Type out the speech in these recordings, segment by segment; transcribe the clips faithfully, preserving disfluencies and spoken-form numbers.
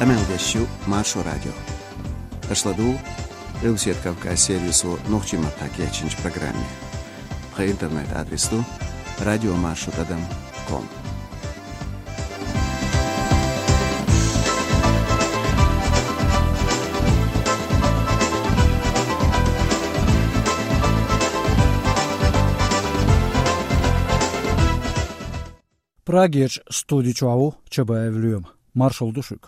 Къамел деш ю Маршо радио. Аша ладугӀу Къилбаседа Кавказ сервисо нохчийн маттахь кечйинчу программе. Тхан интернет-адрес ду радиомаршо тӀадам ком. Прагерчу студи чохь ву Чабаев Лоьма. Маршалла ду шуьга.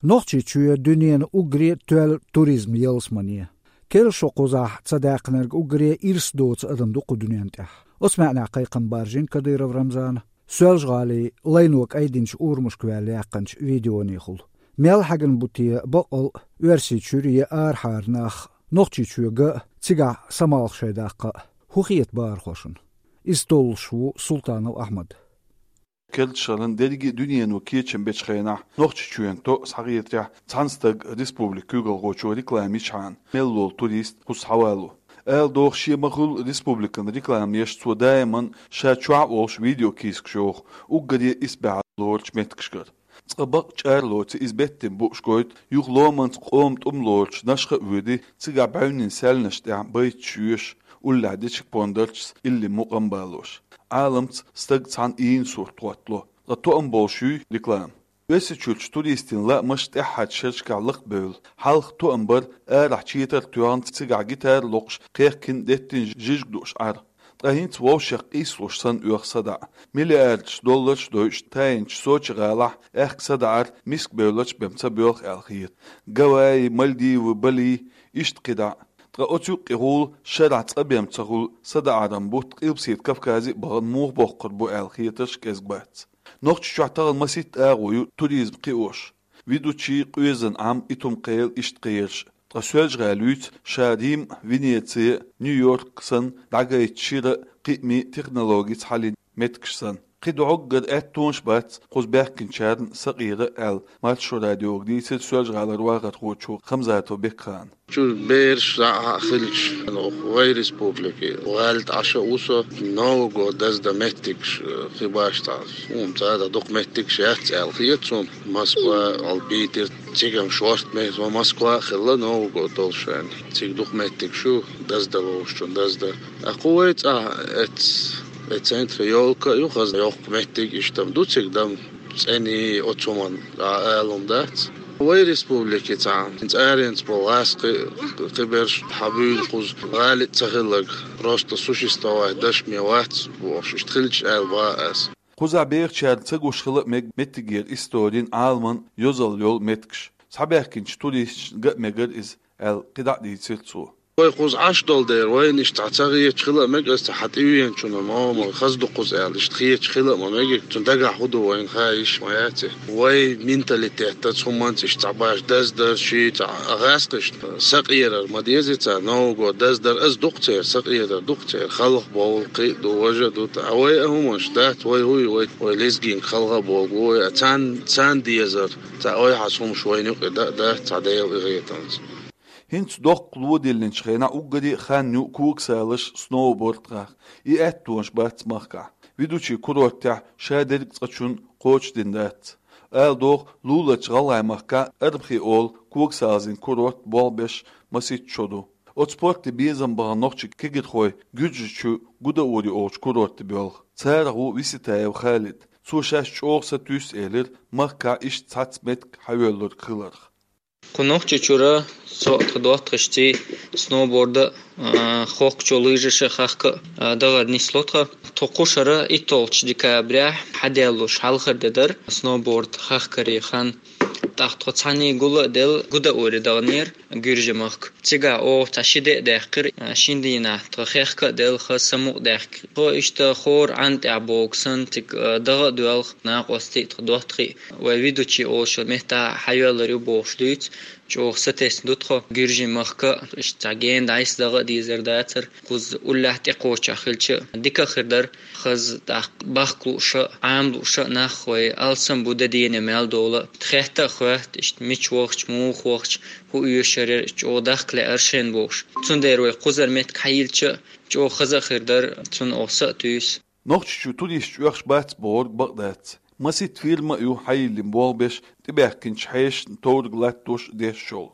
Нохчийчоь дуьненан уггаре а тоьлла туризман ялсамане. Керла шо кхузахь ца даьккхинарг уггаре а ирс доцу адам ду кху дуьнен тӀехь. Оцу маьӀнехь кхайкхам баржийна Кадыров Рамзана Соьлжа-ГӀалин лайно кӀайдинчу урамашка ваьлла яьккхинчу видеонехула. Мел хьаьгна бу те баккъал а Оьрсийчуьра я арахьара нах Нохчийчоь ган а, цигахь самалх шайн даккха а? ХӀун хета бахархошна? Иза толлуш ву Султанов Ахьмад. Керла шарахь дерриге а дуьнено кечам бечу хенахь, Нохчийчоьнан тоъ схьахетарехь, цхьана стага республикан куьйгалхочо реклама йичхьана, мел волу турист кхуза схьавалаво. Ала догӀу, шен ма-хуьллу республикана реклама еш, цо даиман ша чохь а волуш видеокийсакаш йоху уггаре а исбаьхьалла лоручу меттигашкара. Цкъа бакъ чӀагӀлоций иза беттина бууш гойту, юха ломанца къоман тӀум лоручу Нашха а воьдий, цигахь бӀаьвнийн саьлланаш тӀехь байташ йоьшу, уллехь дечиг пондарчаш илли мукъам балош. Ӏаламца стаг цхьана ийна сурт хӀоттало, ткъа тоам болуш юй реклама. Оьрсийчуьрчу туристийн лаамаш тӀаьххьарчу шерашкахь лакхабевлла, хьалха тоам бара арахь четар а тоьхна, цигахь гитара а локхуш, кхехкина деттина жижиг дууш Ӏар. Ткъа хӀинца вовшех къийсалуш санна оьху садаӀа. Миллиардаш долларш а дойуш, тайинчу Сочи-гӀалахь аьхка садаӀар миска бевллачу бен ца боьлху аьлла хета. Гавайи, Мальдивы, Бали, иштта кхидӀа а. Ткъа оцу юккъехула шарахь цкъа бен ца хуьлу садаӀаран бутт Къилбаседа Кавказе а бахана муха боккхур бу аьлла хетарш кӀезиг бац. Нохчийчохь тахана масийтта агӀо ю туризм кхиош. Ведучи, къоьзан Ӏам, итум-кхел, иштта кхераш. Ткъа Соьлжа-ГӀала юьйцу ша Рим, Венеци, Нью-Йорк санна дӀагайта шира а, кхиамийн а технологица хьалийна меттигаш санна. КхидӀа гӀоггара аьттонаш бац кхуза баьхкинчарна сакъера аьлла, Маршо радиога дийцира Соьлжа-ГӀалара вахархочо Хамзатов Бекхана. Чуьра бераш а хилча, вай республике валла тӀе Ӏаш а ву со, Новый год даздан меттигаш, э, кхин башха цхьа, хӀума цара дукха меттигаш яц аьлла хета суна. Москва, албитира, цига-м шорта меттиг, Москва а хилла Новый год долуш ваьлла. Цига дукха меттигаш ю, даздан ловзучунна даздан. Ткъа кху вай цӀахь эц-, э, центре ёлка а ю, хаза йоккха меттиг, иштта-м ду цига дан. ЦӀена оцу хӀуманна дӀа ала хӀума дац. Вай республике цхьа цӀаренца болу гӀазкхи, кхиберш хьан буьйлу кхуза гӀали а ца хилларг, просто существовать дашме вац бохуш, иштта хилча аьлла боху ас. Кхузахь бехачара ца гуш хила а мега меттигера историн, Ӏаламан йозалла йолу меттигаш. Схьабаьхкинчу туристашна ган а мегара иза, аьлла, кхидӀа а дийцира цо. Вай кхуза Ӏаш долу дера, вайна иштта цхьа ца хеташ хила а мега, аса цхьа хьан тӀе веанчунна ма ма хаза ду кхуза аьлла, иштта хеташ хила а ма мега, цунна дагахь хӀун ду вайна хаа йиш ма яц и. Вай менталитетаца, хӀуманца иштта цхьа баш даздар, ши цхьа гӀазкхашна сакъерар ма деза цара, Новый год даздар, аса дукха церан сакъерар, дукха церан халха бовла, кхин а ду, важа а ду, ткъа вай а хӀуманаш дац, вай хӀуй, вай, вай лезгинг халха а бовла, вай а царна, царна дезар, цхьа ойхьаз хӀумаш вайна юкъе дан а дац, цхьа Делан къинхетамца. ХӀинца доккха ло диллинчу хенахь уггаре а хан ю когасалаш, сноуборд хахка. И аьттонаш бац махкахь. Ведучи курортехь шадерг а цкъачунна кхочушдина дац. Ала догӀу, луларчу ГӀалгӀай махкахь Арбхи олу когасалазин курорт болх беш масийтта шо ду. Оцу спорте безам бахана нохчийн кегирхой Гуьржийчу Гудаури олучу курорте боьлху. Царах ву Виситаев Халид. Цо шаьш чӀогӀа сатуьйсу элира, махкахь иштта цхьацца меттиг хьайоьллург хиларх. Кху Нохчийчуьра со а, тхан доттагӀашций, сноуборда а, хохкачу лыжаша хахка а, а, дахар нисло тхан. Тхо кху шарахь иттолгӀачу декабрехь хьадаьллуш хьалхара де дара сноуборд хахкаре хан. ТӀаккха тхо цхьаьний гул а делла Гудаури даханера, Гуьржийн махка. Цигахь оха цхьа ши де а даьккхира, а, шина дийнахь тхан хехка а делла, хаза самукъадаьхка. Тхо иштта хӀора Ӏан тӀехь богу санна, цига, а, даха а доьлху накъостий, тхан доттагӀий. Вай ведучи олуш меттахь хьайоьллур ю бохуш дуьйцу. ЧӀогӀа сатесна ду тхо, гуьржийн махка, иштта цхьа гена дӀасадагӀа а дезар дацар, кхузза уллехь тӀекхочехь хилча а, дика а хир дара, хаза тӀаккха бахка лууш а, Ӏама лууш а нах вай алсам бу де-дена мел довла. Хетта а хоьтту, иштта мича вахча, муха вахча, хӀун оьшуш яра, чӀогӀа дахка лаьара шайна бохуш. Цундела вай кхузара меттиг хьайиллча а, чӀогӀа хаза а хир дара, цунна оха са а туьйсу. Нохчийчу туристаш оьхуш бац бохург бакъ дац. Масийтта фирма а ю хьайиллина болх беш, тӀебаьхкинчу хьешашна товраг латтош дешшол.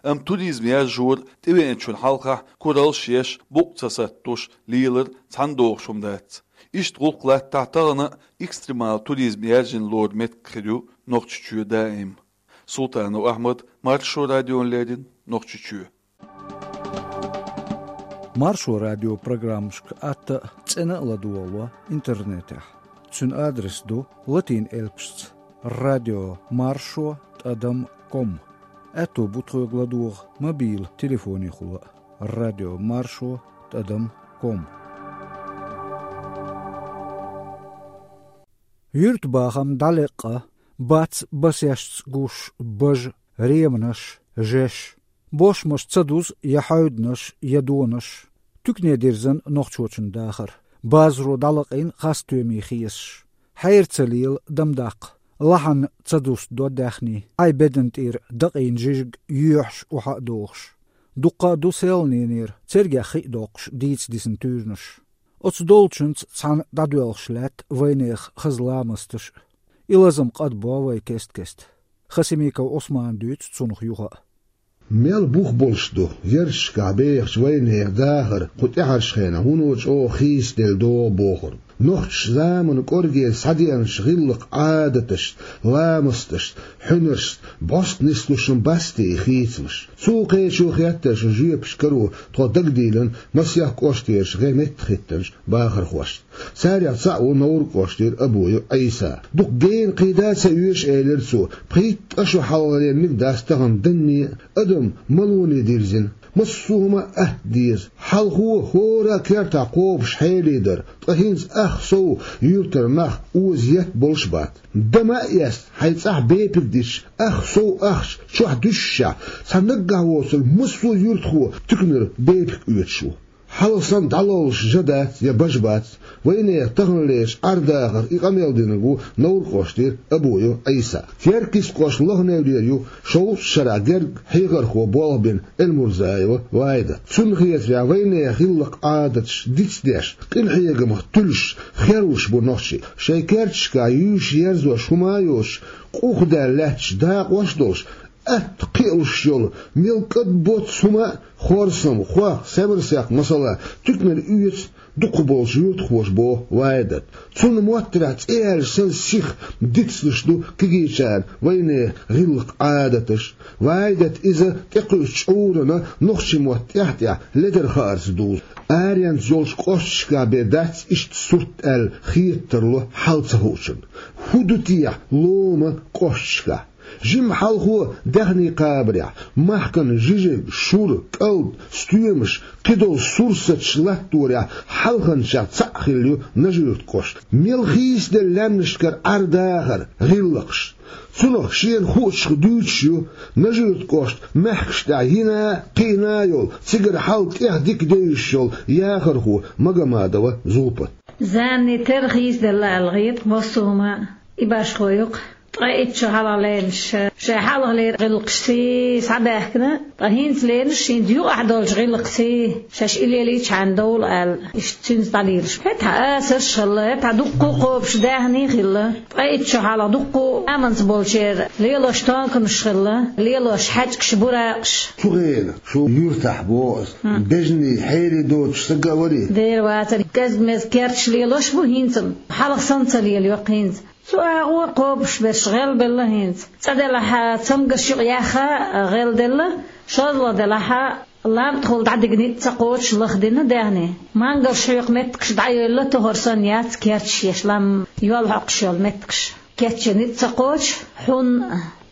Амма туризм яржор тӀевеанчун хьалхахь кураллаш еш, букъ ца саттош лелар цхьаьна догӀуш хӀума дац. Иштта гӀуллакх латтахь, тахана а экстремал туризм яржийна лору меттиг хир ю Нохчийчоь даим. Султанов Ахьмад, Маршо радиона леррина, Нохчийчоь. Маршо радион программашка атта а, цӀена а ладогӀало интернетехь. Цуьнан адрес ду латин элпашца: радио маршо тӀадам ком. Аьтто бу тхоьга ладогӀа мобил телефонехула а: радио маршо тӀадам ком. Юьртабахам дӀалеккъа, бац басешца гуш бажа, реманаш, жеш. Бошмаш ца дуза я хьаьвданаш, я донаш. Туькне дирзина нохчочун дахар. Базаро дӀалакъийна хас тоьмий хесаш. Хьера ца лела, дам даккха. Лахьанна ца дустадо даьхний. Хьайн бедан тӀера дакъийна жижиг йоьхьуш, охьа а дохуш. Дуккха а ду селханенера, цергех хи а доккхуш, дийца дисина туьйранаш. Оцу долчуьнца цхьаьна дӀадоьлхуш лаьтта вайнехан хаза ламасташ а. И лазам кӀадбо вай кест-кеста. Хасимиков Ӏусмана дуьйцу цунах юха а. Мел бух болуш ду ярташкахь бехачу вайнехан дахар кху тӀаьхьарчу хенахь, вуно чӀогӀа хийцаделла догӀу бохург. Нохчаша заманан кӀоргера схьадеанчу гӀиллакх-Ӏадаташца, ламасташца, хьуьнаршца бӀоста нислуш хӀума бац те и хийцамаш? Цул кхечо хеттара шун жоьпашка каро тхо дагадийлина масех кӀоштерчу гӀеметтахӀиттинчу бахархошца. Царех цхьаъ ву Невран кӀоштара Абуев Ӏийса. Дукха гена кхин да а ца оьшу, элира цо, пхийтта ткъа шо хьалхалерниг дац тахана данне а, адам малоне дирзина. Массо а хӀума а атта деза. Хьалхо хӀора а кертахь кхобуш хьелий дара, ткъа хӀинца ах сов юьртара нах оза етта болуш бац. Дан ма а эцна, хьайн цӀахь бепиг дитча, ах сов ахча чохь дуьсушехь, цхьа наггахь воцург массо а юьртахо туьканара бепиг оьцуш ву. Хьалха санна дӀалоллуш жа дац я бажа бац. Вайнехан таханлерчу Ӏар-дахарх и къамел динарг ву Невран кӀоштара Абуев Ӏийса. Теркйист кӀошт Лохневлера ю шовзткъа шарахь герга хьехархо болх бина Эльмурзаева Ваидат. Цунна хетарехь, вайнехан гӀиллакх-Ӏадаташ дицдеш, къинхьегамах туьллуш, хервуш бу нохчий. Шайн керташкахь юьйш-ерзош хӀума а йоцуш, къухдаьлла лаьтташ дакъош а долуш, атта кхиалуш йолу, мел кӀадбоцу хӀума а, хорсам, хох, севарсех, масала, туьканара оьцу дукхахболчу юьртахоша, боху Ваидат. Цунна моттарехь, цӀе яьлча санна сиха дицлуш ду кегийчарна вайнехан гӀиллакх-Ӏадаташ. Ваидат иза тӀекхуьучу чкъурана нохчийн мотт тӀаьхь-тӀаьхьа ледар хаарца дузу. Аренца йолчу кӀошташкахь бен дац иштта сурт аьлла хета тарло хьал ца хуучунна. ХӀун ду техьа лома кӀошташкахь? Жимма хьалхо даьхний кхабарехь, махкана жижиг, шура, кӀалд, стоьмаш, кхидолу сурсаташ латторехь хьалханчех цхьаъ хилла ю Нажи-Юьртан кӀошт. Мел хийцаделла лаьмнашкара Ӏар-дахар, гӀиллакхаш. Цунах шена хуучух дуьйцуш ю Нажи-Юьртан кӀошт мехкаш тӀехь йина а, кхиъна а йолу, цигара хьал тӀех дика девзаш йолу яхархо Магомадова Зулпат. Занни тера хийцаделла аьлла хета массо а хӀума а, и башхо ю-кх. Ткъа итт шо хьалха леринарш шайн хьалхалера гӀиллакхашций схьабаьхкина, ткъа хӀинца леринарш хӀинца юкъахь долчу гӀиллакхций шаьш и лелийчхьана довла аьлла, иштта цуьнца дӀалелаш бу. ХӀетахь асарш а хилла, хӀетахь дуккха а кхобуш даьхний а хилла. Ткъа итт шо хьалха дуккха а аманца болчеран лелош тонканаш хилла, лелош хьаьжкӀаш, буракъаш. Цу хенахь шун юьртахь, боху аса, бежанийн хьерий доцуш стаг а варий? Дера вацара, кӀезиг-мезиг керташ лелош бу хӀинца-м, хьалха санна ца лелайо-кх хӀинца. Цу агӀор кхобуш берш гӀелбелла хӀинца. ЦӀа делахь, цамгарш юкъа яьхна гӀелделла, шозлагӀа делахь, лам тӀехула дӀадигна ницкъ ца кхочуш лахдина даьхний. Мангалш хьоькху меттигаш дӀайевлла, тохар санна яц керташ еш, лам йол хьокхуш йолу меттигаш. Кечъян ницкъ ца кхочу, хьун,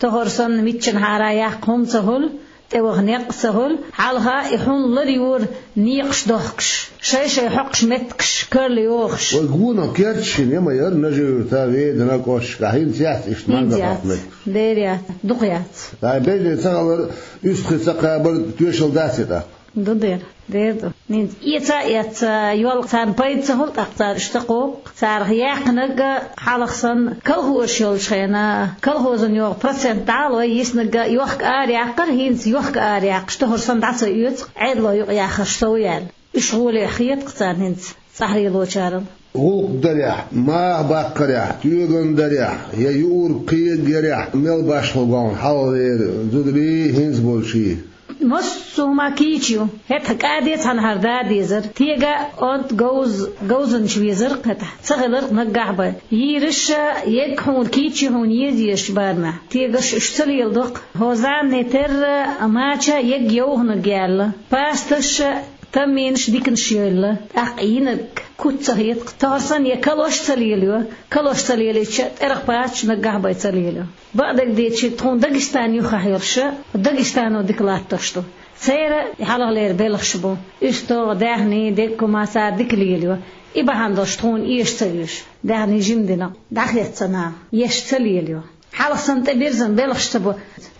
тохар санна миччанхьара яккха хӀума ца хуьлу, тӀеваха некъ а ца хуьлу, хьалха и хьун лар юра некъаш дохкуш, шай-шай хьокхуш меттигаш карла йохуш. Вай гонах керташ хӀинца ма яра Нажи-Юьртахь, Веданна, кӀошташкахь, хӀинца яц иштта мангал хьокху меттигаш? Дера яц, дукха яц. Ай, бежде ца хилар, уьстагӀий ца кхабар тоьшалла дац и тӀаккха? Ду дера, дера ду. ХӀинца эца а эцна йолу царна пайда ца хуьлу, тӀаккха цара уьш ца кхокху. Царах яьккхинарг а хьалха санна, колхозаш йолчу хенахь, колхозан йогӀу процент дӀа а лой, йиснарг а йохка араяккхара, хӀинца йохка араяккхаш, тохар санна дӀа ца оьцу, Ӏедало юкъаяхарш сов яьлла. Уьш гӀоле хетакх царна хӀинца, цӀахь лелочарал. ГӀуллакх дарехь, маха баккхарехь, тоьган дарехь, я юург-кхега ярехь, мел башхалла гӀовгӀа хьалхалера зударий, хӀинца болчий? Массо а хӀума кийча ю. ХӀетахь кӀаде цхьанхьара да дезара. Тега онт говз-, говзанча везар-кх хӀетахь. Ца хилар-кх наггахь бен. Йийраш а, егга хьуна кийча ю хьуна еза езачу барамехь. Тегаш уьш ца леладо-кх. ХӀокху заманан терра мача егга йовханарг яьлла. Пасташ а, таммийнаш а, диканаш а йойла. ТӀаккха йинарг куц ца хета-кх. Тохар санна я калош а ца лелайо. Калош ца лелийча, тӀерах паччахь наггахь бен ца лелайо. Бакъдерг дийцича, тхуна Дагестан юххехь йолуш а, Дагестано дика латтош ду. Церан и хьалхалера белхаш бу. УьстагӀ, даьхни, деггум а цара дика лелайо. И бахьана долуш тхуна эша ца оьшу. Даьхни жима дина, дӀахецна, эша ца лелайо. Хьалха санна тӀебирзина белхаш ца бо.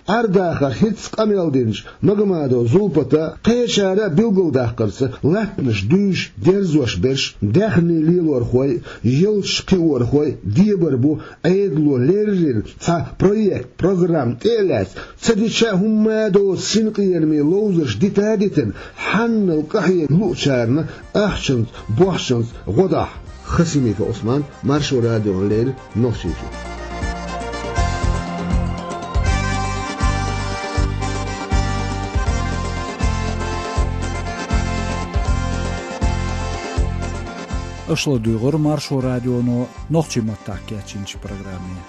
Ӏер-дахар хӀинцца къамел динчу Магомадов Зулпата, кхечара а билгалдаккхарца, латтанаш дуьйш, дерзош берш, даьхни лелорхой, ялташ кхиорхой дебар бу Ӏедало леррина цхьа проект, программа тӀе а лаьцна, ца дича а хӀумма а доцу синкъераме ловзарш дита а дитина, хьанал къахьега луучарна ахчанца, бохчанца гӀо дахьа. Хасимиков Ӏусман, Маршо радиона леррина, Нохчийчоь. Аша ладуьйгӀира Маршо радионо нохчийн маттахь кечйинчу программе.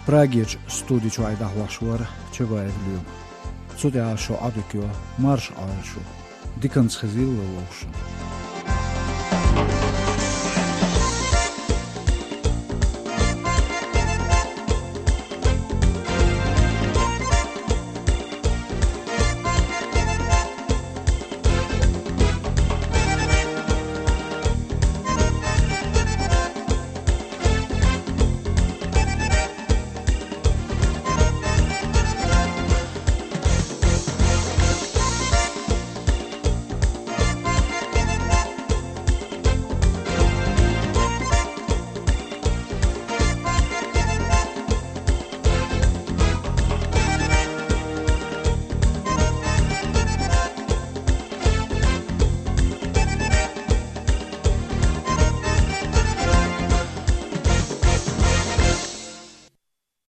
Прагерчу студи чуьра дӀахьош вара Чабаев Лоьма. Цу тӀехь шун Ӏодика йо, марша Ӏойла шу. Диканца хезийла вовшашна.